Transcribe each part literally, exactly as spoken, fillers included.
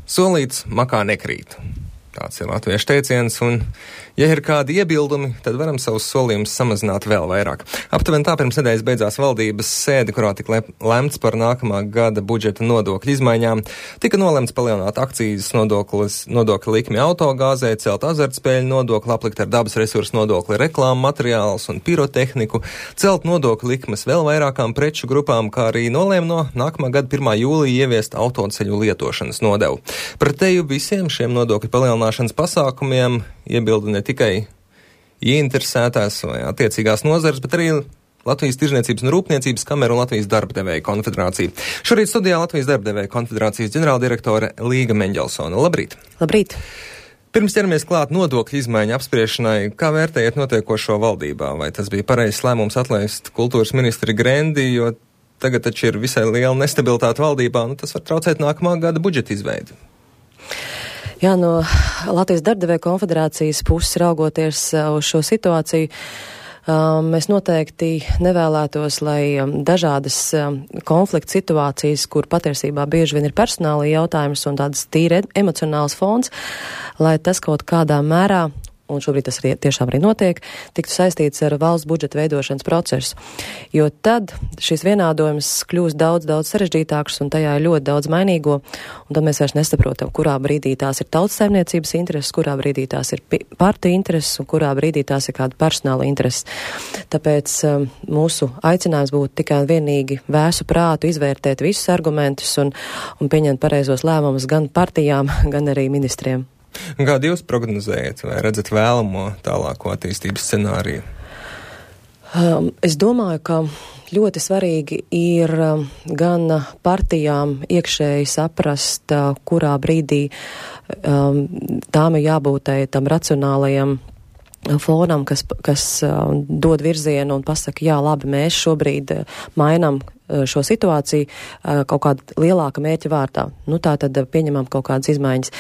Solīts makā nekrīt. Tāds ir latviešu teiciens, un, ja ir kādi iebildumi, tad varam savus solījumus samazināt vēl vairāk. Aptuveni tā pirms nedēļas beidzās valdības sēde, kurā tika lemts par nākamā gada budžeta nodokļu izmaiņām. Tika nolemts palielināt akcijas nodokļu likmi autogāzē, celt azartspēļu nodokli, aplikt ar dabas resursu nodokli reklāmu materiālus un pirotehniku, celt nodokļu likmes vēl vairākām preču grupām, kā arī nolēma no nākamā gada pirmā jūlija ieviest autoceļu lietošanas nodevu. Pretēju visiem šiem nodokļu palielināšanas pasākumiem iebilda ne tikai ieinteresētās vai attiecīgās nozares, bet arī Latvijas Tirzniecības un Rūpniecības kamera un Latvijas Darbadevēju konfederācija. Šorīt studijā Latvijas Darbadevēju konfederācijas ģenerāldirektore Līga Meņģelsone. Labrīt! Labrīt! Pirms ķeramies klāt nodokļu izmaiņu apspriešanai, kā vērtējat notiekošo valdībā? Vai tas bija pareizs lēmums atlaist kultūras ministri Grendi, jo tagad taču ir visai liela nestabilitāte valdībā, nu tas var traucēt nākamā gada budžeta izveidi? Jā, no Latvijas Darbadevēju konfederācijas puses raugoties uz šo situāciju, mēs noteikti nevēlētos, lai dažādas konflikta situācijas, kur patiesībā bieži vien ir personāla jautājums un tādas tīri emocionāls fons, lai tas kaut kādā mērā, un šobrīd tas arī tiešām arī notiek, tiktu saistīts ar valsts budžeta veidošanas procesu. Jo tad šis vienādojums kļūst daudz, daudz sarežģītāks un tajā ir ļoti daudz mainīgo, un tad mēs vairs nesaprotam, kurā brīdī tās ir tautsaimniecības intereses, kurā brīdī tās ir partija intereses un kurā brīdī tās ir kāda personāla intereses. Tāpēc um, mūsu aicinājums būtu tikai vienīgi vēsu prātu izvērtēt visus argumentus un, un pieņemt pareizos lēmumus gan partijām, gan arī ministriem. Kādu jūs prognozējat vai redzat vēlamo tālāko attīstības scenāriju? Um, es domāju, ka ļoti svarīgi ir um, gan partijām iekšēji saprast, uh, kurā brīdī um, tām ir jābūt tam racionālajam fonam, kas, kas uh, dod virzienu un pasaka, jā, labi, mēs šobrīd uh, mainam šo situāciju uh, kaut kāda lielāka mērķa vārtā. Nu, tā tad pieņemam kaut kādas izmaiņas.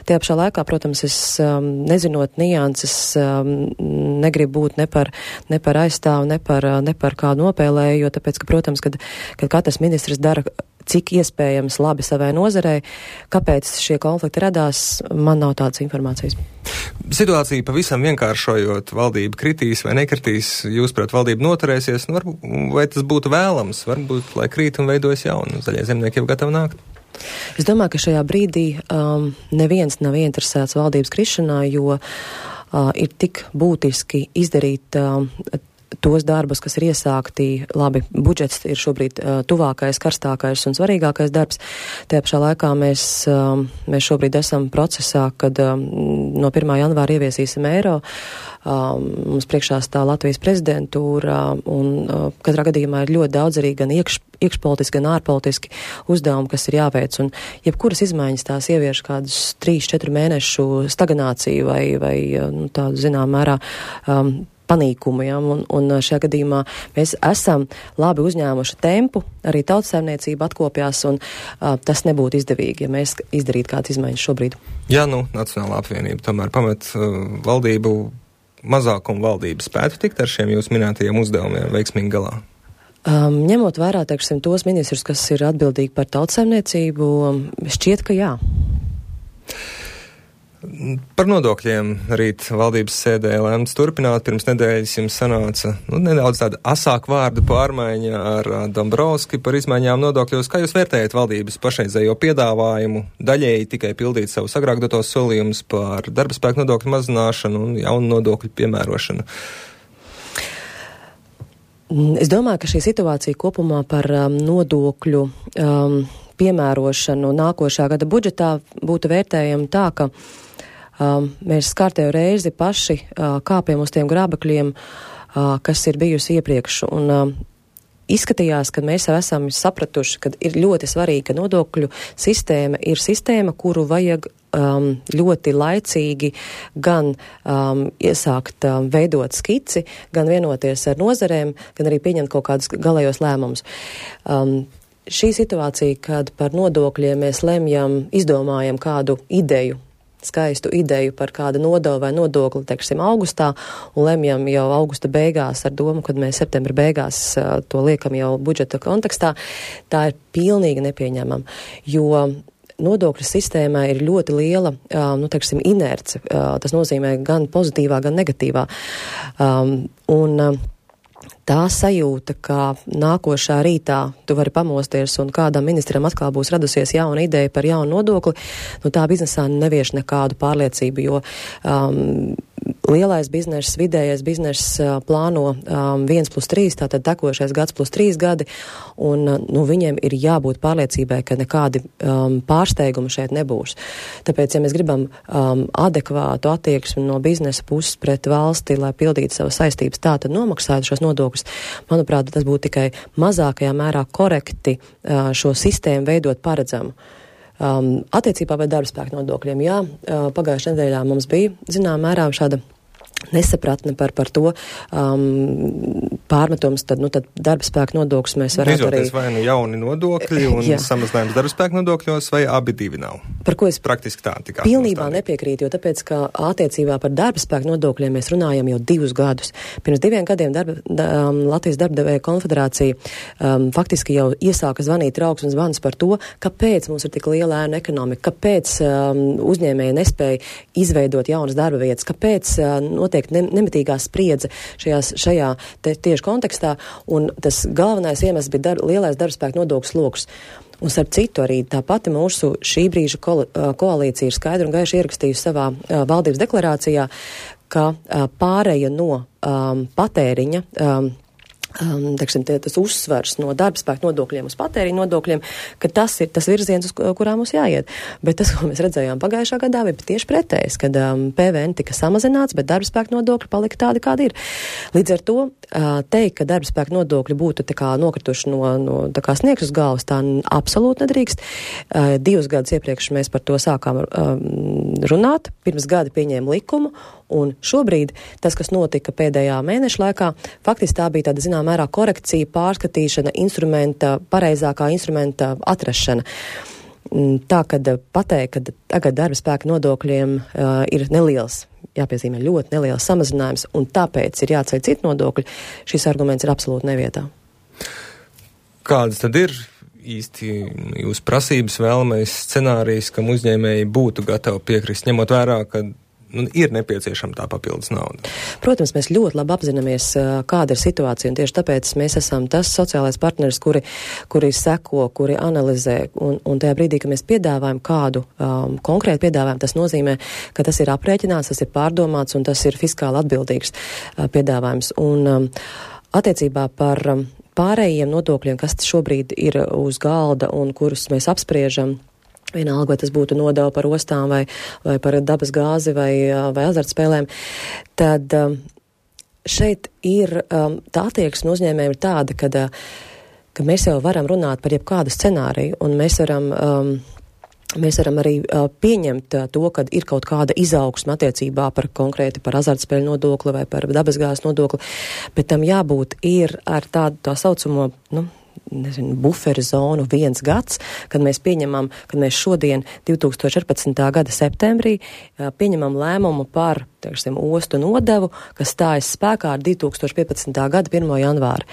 Tajā pašā laikā, protams, es um, nezinot nianses, um, negribu būt ne par, ne par aizstāvu, ne par, ne par kādu nopēlēju, jo tāpēc, ka, protams, kad, kad katrs ministrs dara cik iespējams labi savai nozarei, kāpēc šie konflikti radās, man nav tādas informācijas. Situācija pavisam vienkāršojot, valdība kritīs vai nekritīs, jūs, prāt, valdība noturēsies, nu, varbūt, vai tas būtu vēlams, varbūt, lai krīt un veidojas jaunu, zaļie zemnieki jau gatavi nākt? Es domāju, ka šajā brīdī um, neviens nav interesēts valdības krišanā, jo uh, ir tik būtiski izdarīt um, tos darbus, kas ir iesākti, labi, budžets ir šobrīd uh, tuvākais, karstākais un svarīgākais darbs. Tajā pašā laikā mēs, um, mēs šobrīd esam procesā, kad um, no pirmā janvāra ieviesīsim eiro. Um, mums priekšā stāv Latvijas prezidentūra un uh, katrā gadījumā ir ļoti daudz arī gan iekš, iekšpolitiski, gan ārpolitiski uzdevumi, kas ir jāveic. Un jebkuras izmaiņas tās ievieš kādus trīs, četru mēnešu stagnāciju vai, vai nu, tādu zinām mērā um, panīkumu, ja, un, un šajā gadījumā mēs esam labi uzņēmuši tempu, arī tautsaimniecība atkopjās, un uh, tas nebūtu izdevīgi, ja mēs izdarītu kādas izmaiņas šobrīd. Jā, nu, Nacionālā apvienība tomēr pamet uh, valdību, mazākumu valdību spētu tikt ar šiem jūs minētajiem uzdevumiem veiksmīgi galā? Um, ņemot vērā, teiksim, tos ministrus, kas ir atbildīgi par tautsaimniecību, šķiet, ka jā. Par nodokļiem rīt valdības sēdē lēmts turpināt. Pirms nedēļas jums sanāca nu, nedaudz tāda asāka vārdu pārmaiņa ar Dombrovski par izmaiņām nodokļos. Kā jūs vērtējat valdības pašreizējo piedāvājumu daļēji tikai pildīt savus agrāk dotos solījumus par darba spēku nodokļu mazināšanu un jaunu nodokļu piemērošanu? Es domāju, ka šī situācija kopumā par um, nodokļu um, piemērošanu nākošā gada budžetā būtu vērtējama tā, ka Um, mēs kārtējo reizi paši uh, kāpjam uz tiem grābekļiem, uh, kas ir bijusi iepriekš. Un uh, izskatījās, ka mēs jau esam sapratuši, ka ir ļoti svarīgi, ka nodokļu sistēma ir sistēma, kuru vajag um, ļoti laicīgi gan um, iesākt um, veidot skici, gan vienoties ar nozarēm, gan arī pieņemt kaut kādus galējos lēmumus. Um, šī situācija, kad par nodokļiem mēs lemjam, izdomājam kādu ideju, skaistu ideju par kādu nodevu vai nodokli, teiksim, augustā, un lemjam jau augusta beigās ar domu, kad mēs septembra beigās uh, to liekam jau budžeta kontekstā, tā ir pilnīgi nepieņemama, jo nodokļu sistēmā ir ļoti liela, uh, nu, teiksim, inerce. Uh, tas nozīmē gan pozitīvā, gan negatīvā. Um, un, uh, Tā sajūta, ka nākošā rītā tu vari pamosties un kādam ministram atkal būs radusies jauna ideja par jaunu nodokli, nu tā biznesā nevieš nekādu pārliecību, jo um, lielais bizness, vidējais bizness uh, plāno um, viens plus trīs, tātad tekošais gads plus trīs gadi, un uh, nu, viņiem ir jābūt pārliecībai, ka nekādi um, pārsteigumi šeit nebūs. Tāpēc, ja mēs gribam um, adekvātu attieksmi no biznesa puses pret valsti, lai pildītu savas saistības, tā tad nomaksātu šos nodokļus, manuprāt, tas būtu tikai mazākajā mērā korekti uh, šo sistēmu veidot paredzamu. Um, attiecībā par darba spēku nodokļiem, jā, uh, pagājušajā nedēļā mums bija, zinām, mērā šāda nesapratne par, par to um, pārmetums, tad, nu, tad darba spēka nodokļus mēs varētu arī... Izvēlēties vai nu jauni nodokļi un jā. Samazinājums darba spēka nodokļos, vai abi divi nav? Par ko es praktiski tā tikā pilnībā nepiekrītu, jo tāpēc, ka attiecībā par darba spēka nodokļiem mēs runājam jau divus gadus. Pirms diviem gadiem darba, da, um, Latvijas darbdevēja konfederācija um, faktiski jau iesāka zvanīt trauksmes zvans par to, kāpēc mums ir tik liela ēnu ekonomika, kāpēc um, uzņēmēji nespēja izveidot jaunas darba vietas, kāpēc uh, notiek ne, nemitīgā spriedze šajās, šajā te, tieši kontekstā, un tas galvenais iemesls bija dar, lielais darbspēka nodokļu sloks. Un starp citu arī tā pati mūsu šī brīža ko, koalīcija ir skaidri un gaiši ierakstījusi savā uh, valdības deklarācijā, ka uh, pāreja no um, patēriņa um, Um, teiksim, tie, tas uzsvars no darba spēka nodokļiem uz patēriņu nodokļiem, ka tas ir tas virziens, uz kurā mums jāiet. Bet tas, ko mēs redzējām pagājušā gadā, bija tieši pretējs, kad um, P V N tika samazināts, bet darba spēka nodokļi palika tādi, kādi ir. Līdz ar to uh, teikt, ka darba spēka nodokļi būtu tā kā nokrituši no, no tā kā sniegs uz galvas, tā absolūti nedrīkst. Uh, divus gadus iepriekš mēs par to sākām um, runāt, pirms gada pieņēma likumu, un šobrīd tas, kas notika pēdējā mēneša laikā, faktiski tā bija tāda, zinām, mērā korekcija, pārskatīšana, instrumenta, pareizākā instrumenta atrašana. Tā, kad pateikt, ka tagad darba spēka nodokļiem uh, ir neliels, jāpiezīmē ļoti neliels samazinājums, un tāpēc ir jāceļ citu nodokļu, šis arguments ir absolūti nevietā. Kādas tad ir īsti jūsu prasības, vēlamais scenārijs, kam uzņēmēji būtu gatavi piekrist, ņemot vērā, ka nu, ir nepieciešama tā papildus nauda? Protams, mēs ļoti labi apzināmies, kāda ir situācija, un tieši tāpēc mēs esam tas sociālais partneris, kuri, kuri seko, kuri analizē, un, un tajā brīdī, ka mēs piedāvājam kādu um, konkrētu piedāvājumu, tas nozīmē, ka tas ir aprēķināts, tas ir pārdomāts, un tas ir fiskāli atbildīgs uh, piedāvājums. Un um, attiecībā par um, pārējiem nodokļiem, kas šobrīd ir uz galda un kurus mēs apspriežam, vienalga, vai tas būtu nodeva par ostām vai, vai par dabas gāzi vai, vai azartspēlēm, tad um, šeit ir um, tā attieksme uzņēmējiem ir tāda, kad, uh, ka mēs jau varam runāt par jebkādu scenāriju, un mēs varam, um, mēs varam arī uh, pieņemt uh, to, kad ir kaut kāda izaugsme attiecībā par konkrēti par azartspēļu nodokli vai par dabas gāzes nodokli, bet tam jābūt ir ar tādu tā saucamo, nu, nezinu, buferu zonu viens gads, kad mēs pieņemam, kad mēs šodien divi tūkstoši četrpadsmitā gada septembrī pieņemam lēmumu par, teiksim, ostu nodevu, kas stājas spēkā ar divi tūkstoši piecpadsmitā gada pirmo janvāri.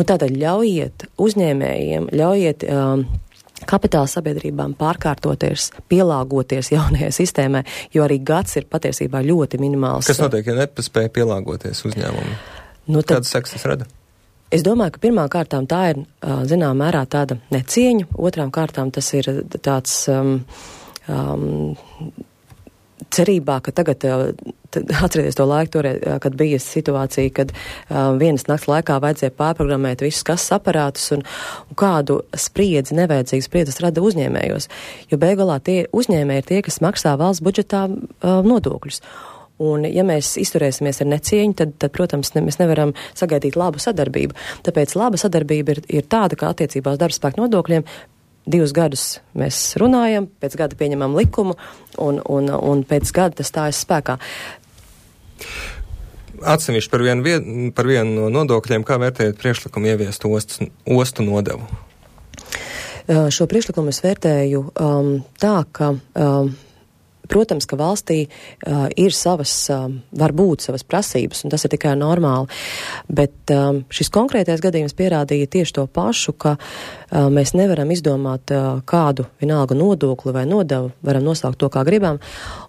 Nu, tātad ļaujiet uzņēmējiem, ļaujiet um, kapitāla sabiedrībām pārkārtoties, pielāgoties jaunajai sistēmai, jo arī gads ir patiesībā ļoti minimāls. Kas notiek, ja nepaspēja pielāgoties uzņēmumu? Nu, tad, kādas sekas tas rada? Es domāju, ka pirmām kārtām tā ir, zinām, mērā tāda necieņa, otrām kārtām tas ir tāds um, um, cerībā, ka tagad, atcerieties to laiku, toreiz, kad bija situācija, kad um, vienas nakts laikā vajadzēja pārprogrammēt visus kases aparātus un, un kādu spriedzi, nevajadzīgu spriedzes rada uzņēmējos, jo beigulā tie uzņēmēji ir tie, kas maksā valsts budžetā um, nodokļus. Un, ja mēs izturēsimies ar necieņu, tad, tad protams, ne, mēs nevaram sagaidīt labu sadarbību. Tāpēc laba sadarbība ir, ir tāda, ka attiecībā uz darba spēku nodokļiem divus gadus mēs runājam, pēc gada pieņemam likumu, un, un, un pēc gada tas stājas spēkā. Atsevišķi par vienu, par vienu no nodokļiem, kā vērtējat priekšlikumu ieviest ostu, ostu nodevu? Šo priekšlikumu es vērtēju um, tā, ka um, protams, ka valstī uh, ir savas, uh, var būt savas prasības, un tas ir tikai normāli. Bet um, šis konkrētais gadījums pierādīja tieši to pašu, ka uh, mēs nevaram izdomāt uh, kādu vienalga nodokli vai nodevu, varam nosaukt to, kā gribam,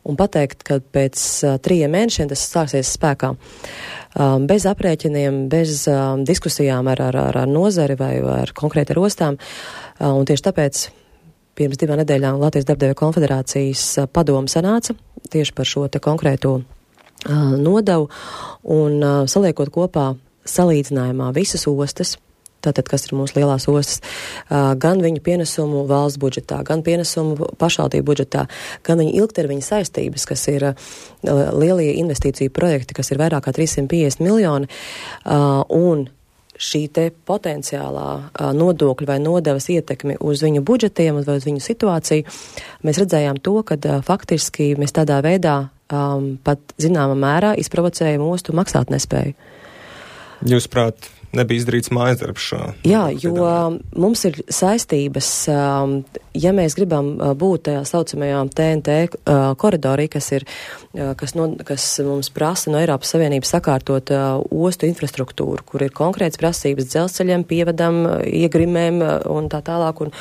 un pateikt, ka pēc uh, trījiem mēnešiem tas stāksies spēkā. Um, bez aprēķiniem, bez um, diskusijām ar, ar, ar nozari vai ar konkrēti ar ostām. Uh, un tieši tāpēc pirms divām nedēļām Latvijas darbdevēju konfederācijas uh, padoma sanāca tieši par šo te konkrēto uh, nodevu un uh, saliekot kopā salīdzinājumā visas ostas, tātad, kas ir mūsu lielās ostas, uh, gan viņu pienesumu valsts budžetā, gan pienesumu pašvaldību budžetā, gan viņu ilgtermiņa saistības, kas ir uh, lielie investīciju projekti, kas ir vairāk kā trīs simti piecdesmit miljoni, uh, un šī te potenciālā uh, nodokļu vai nodevas ietekmi uz viņu budžetiem vai uz viņu situāciju, mēs redzējām to, ka uh, faktiski mēs tādā veidā um, pat zināmā mērā izprovocējam ostu maksāt nespēju. Jūs prāt, nebija izdarīts mājas darbs šo? Jā, jo mums ir saistības, ja mēs gribam būt tajā saucamajā T N T koridorī, kas ir, kas, no, kas mums prasa no Eiropas Savienības sakārtot ostu infrastruktūru, kur ir konkrētas prasības dzelzceļiem, pievadam, iegrimēm un tā tālāk un,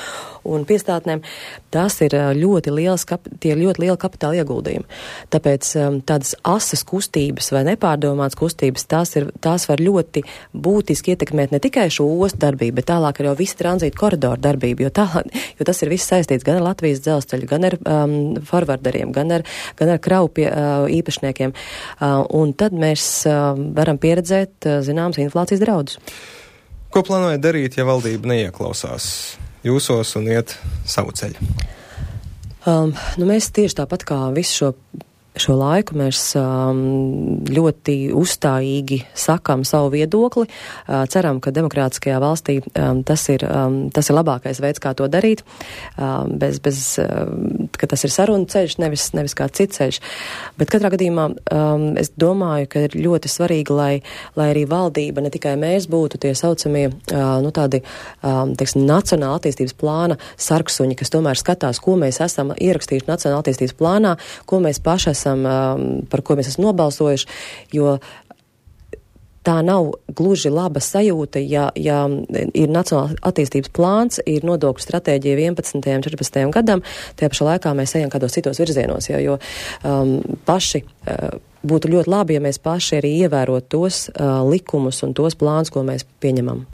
un piestātnēm. Tas ir ļoti liels, tie ir ļoti liela kapitāla ieguldījumi. Tāpēc tādas asas kustības vai nepārdomātas kustības, tās, ir, tās var ļoti būtiski ietekmēt ne tikai šo ostu darbību, bet tālāk arī visu tranzītu koridoru darbību, jo, tā, jo tas ir viss saistīts gan ar Latvijas dzelzceļu, gan ar um, forwarderiem, gan ar, gan ar kravu pie, uh, īpašniekiem. Uh, un tad mēs uh, varam pieredzēt, uh, zināms, inflācijas draudus. Ko plānojat darīt, ja valdība neieklausās jūsos un iet savu ceļu? Um, nu mēs tieši tāpat kā visu šo Šo laiku mēs um, ļoti uzstājīgi sakam savu viedokli. Uh, ceram, ka demokrātiskajā valstī um, tas, ir, um, tas ir labākais veids, kā to darīt, um, bez, bez, um, ka tas ir sarunu ceļš, nevis, nevis kā cits ceļš. Bet katrā gadījumā um, es domāju, ka ir ļoti svarīgi, lai, lai arī valdība, ne tikai mēs būtu tie saucamie uh, nu, tādi, um, teiksim, nacionāla attīstības plāna sarksuņi, kas tomēr skatās, ko mēs esam ierakstījuši nacionāla attīstības plānā, ko mēs paši esam par ko mēs esam nobalsojuši, jo tā nav gluži laba sajūta, ja, ja ir nacionāla attīstības plāns, ir nodokļu stratēģija vienpadsmitajam, četrpadsmitajam gadam, tajā pašā laikā mēs ejam kādos citos virzienos, jo, jo um, paši uh, būtu ļoti labi, ja mēs paši arī ievērot tos uh, likumus un tos plāns, ko mēs pieņemam.